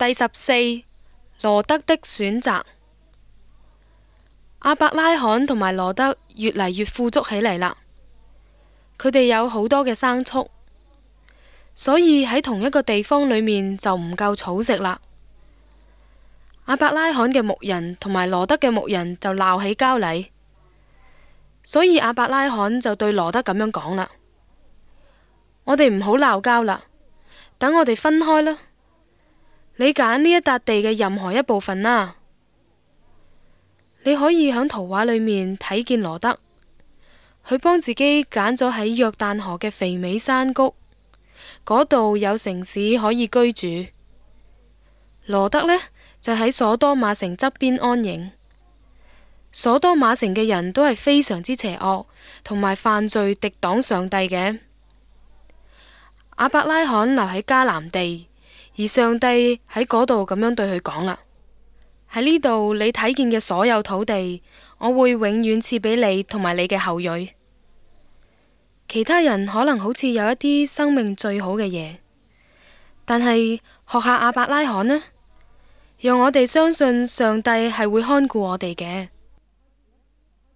第14，羅得的選擇。亞伯拉罕同埋羅得越嚟越富足起嚟啦，佢哋有好多嘅牲畜，所以喺同一個地方裏面就唔夠草食啦。亞伯拉罕嘅牧人同埋羅得嘅牧人就鬧起交嚟，所以亞伯拉罕就對羅得咁樣講啦：我哋唔好鬧交啦，等我哋分開啦。你揀呢一笪地嘅任何一部分啦。你可以喺圖畫裏面睇見羅得，佢幫自己揀咗喺約旦河嘅肥美山谷，嗰度有城市可以居住。羅得呢，就喺所多瑪城側邊安營。所多瑪城嘅人都係非常之邪惡，同埋犯罪敵擋上帝嘅。亞伯拉罕留喺迦南地，而上帝喺嗰度咁樣對佢講啦：喺呢度你睇見嘅所有土地，我會永遠賜俾你同埋你嘅後裔。其他人可能好似有一啲生命最好嘅嘢，但係學下亞伯拉罕呢，讓我哋相信上帝係會看顧我哋嘅。